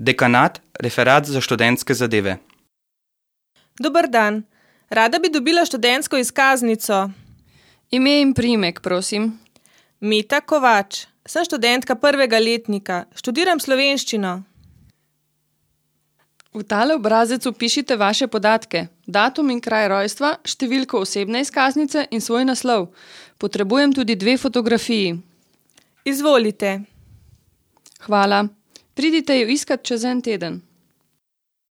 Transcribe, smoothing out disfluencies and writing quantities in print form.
Dekanat, referat za študentske zadeve. Dober dan. Rada bi dobila študentsko izkaznico. Ime in priimek, prosim. Meta Kovač. Sem študentka 1. letnika. Študiram slovenščino. V tale obrazec vpišite vaše podatke, datum in kraj rojstva, številko osebne izkaznice in svoj naslov. Potrebujem tudi 2 fotografiji. Izvolite. Hvala. Pridite jo iskat čez en teden.